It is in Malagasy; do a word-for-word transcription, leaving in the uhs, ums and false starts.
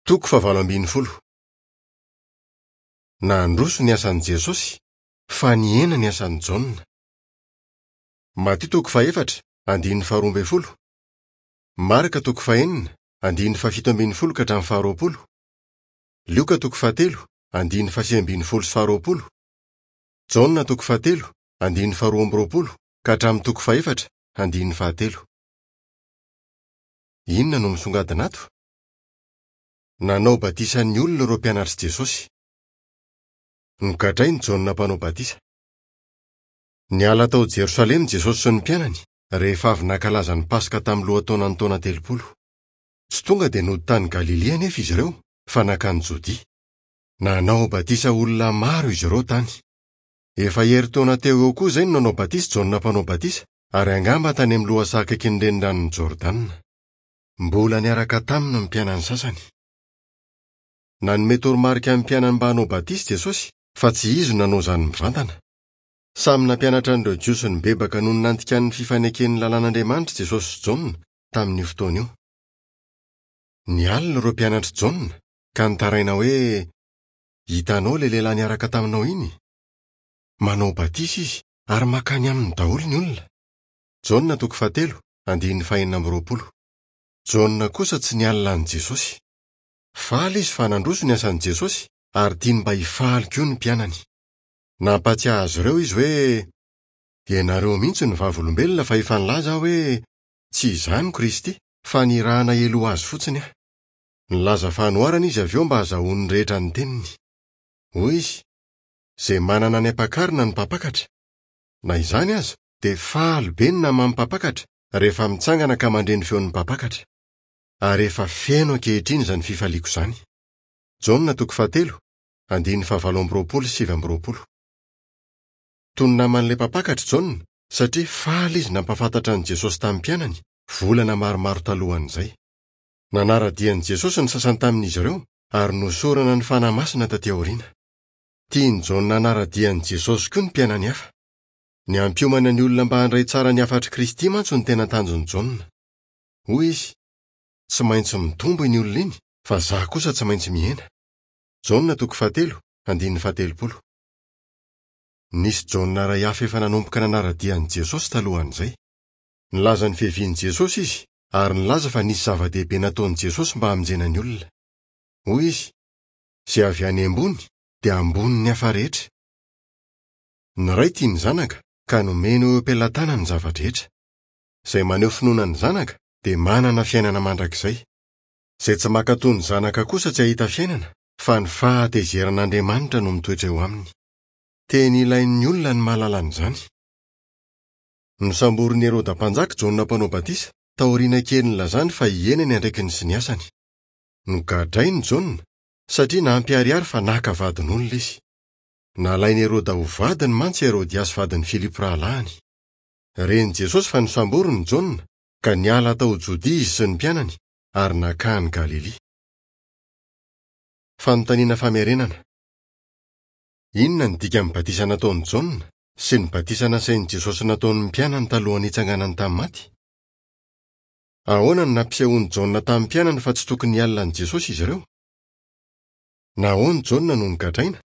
Toko fahavalo ambin'ny folo. Nandroso ny asan'i Jesosy fa nihena ny asan'i Jaona. Matio toko fahefatra, andininy faharoa ambin'ny folo. Marka toko fahenina, andininy fahafito ambin'ny folo ka hatramin'ny faharoapolo. Lioka toko fahatelo, andininy fahasivy ambin'ny folo sy faharoapolo. Jaona toko fahatelo, andininy faharoa amby roapolo ka hatramin'ny toko fahefatra, andininy fahatelo. Inona no misongadina ato? Nanao batisa ny olona ireo mpianatr'i Jesosy. Nogadrain'i Jaona mpanao batisa. Niala tao Jerosalema Jesosy sy ny mpianany rehefa avy nankalaza ny Paska tamin'ny lohataonan'ny taona telopolo. Tsy tonga dia nody tany Galilia anefa izy ireo fa nankany Jodia. Nanao batisa olona maro izy ireo tany. Efa herintaona teo eo koa izay no nanao batisa Jaona mpanao batisa ary angamba tany amin'ny lohasaha akaikin'ny reniranon'i Jordana. Mbola niaraka taminy ny mpianany sasany. Nanome toromarika ny mpianany mba hanao batisa Jesosy fa tsy izy no nanao izany mivantana. Samy nampianatra an'ireo Jiosy nibebaka noho ny nandikany ny fifaneken'ny lalàn'Andriamanitra Jesosy sy Jaona tamin'io fotoana io. Nialona ireo mpianatr'i Jaona ka nitaraina hoe: "Hitanao ilay lehilahy niaraka taminao iny? Manao batisa izy ary mankany aminy daholo ny olona." Jaona toko fahatelo, andininy fahenina amby roapolo. Jaona kosa tsy nialona an'i Jesosy. Faly izy fa nandroso ny asan'i Jesosy ary tiany mba hifaly koa ny mpianany. Nampatsiahy azy ireo izy hoe: "Ianareo mihitsy no vavolombelona fa efa nilaza aho hoe tsy izaho no Kristy fa nirahana heloha azy fotsiny aho." Nilaza fanoharana izy avy eo mba hahazahoan'ny rehetra ny teniny. Hoy izy: "Izay manana ny ampakarina no mpampakatra." Na izany aza dia faly be ny naman'ny mpampakatra rehefa mitsangana ka mandre ny feon'ny mpampakatra. Ary efa feno ankehitriny izany fifaliako izany. Jaona toko fahatelo, andininy fahavalo amby roapolo sy sivy amby roapolo. Toy ny naman'ilay mpampakatra Jaona satria faly izy nampahafantatra an'i Jesosy tamin'ny mpianany volana maromaro talohan'izay. Nanara-dia an'i Jesosy ny sasany tamin'izy ireo ary nosorana ny Fanahy Masina taty aoriana. Tian'i Jaona hanara-dia an'i Jesosy koa ny mpianany hafa. Ny hampiomana ny olona mba handray tsara ny hafatr'i Kristy mantsy no tena tanjon'i Jaona. Hoy izy: "Tsy maintsy mitombo iny olona iny fa izaho kosa tsy maintsy mihena." Jaona toko fahatelo, andininy fahatelopolo. Nisy Jaona iray hafa efa nanomboka nanara-dia an'i Jesosy talohan'izay. Nilaza ny fiavian'i Jesosy izy ary nilaza fa nisy zava-dehibe nataon'i Jesosy mba hamonjena ny olona. Hoy izy: "Izay avy any ambony dia ambonin'ny hafa rehetra. Ny Ray tia ny Zanaka ka nomeny eo am-pelatanany ny zava-drehetra. Izay maneho finoana ny Zanaka dia manana fiainana mandrakizay. Izay tsy mankatò ny Zanaka kosa tsy hahita fiainana fa ny fahatezeran'Andriamanitra no mitoetra eo aminy." Teny ilain'ny olona ny mahalala an'izany. Nosamborin'i Heroda mpanjaka Jaona mpanao batisa taoriana kely nilazany fa hihena ny andraikiny sy ny asany. Nogadrainy Jaona satria nampiharihary fa naka vadin'olona izy. Nalain'i Heroda ho vadiny mantsy Herodiasy vadin'i Filipo rahalahiny. Ren'i Jesosy fa nosamboriny Jaona ka niala tao Jodia izy sy ny mpianany ary nankany Galilia. Fanontaniana famerenana. Inona ny dikan'ny batisa nataon'i Jaona sy ny batisa nasain'i Jesosy nataon'ny mpianany talohan'ny hitsanganany tamin'ny maty? Ahoana no nampisehoan'i Jaona tamin'ny mpianany fa tsy tokony hialona an'i Jesosy izy ireo? Nahoana Jaona no nogadraina?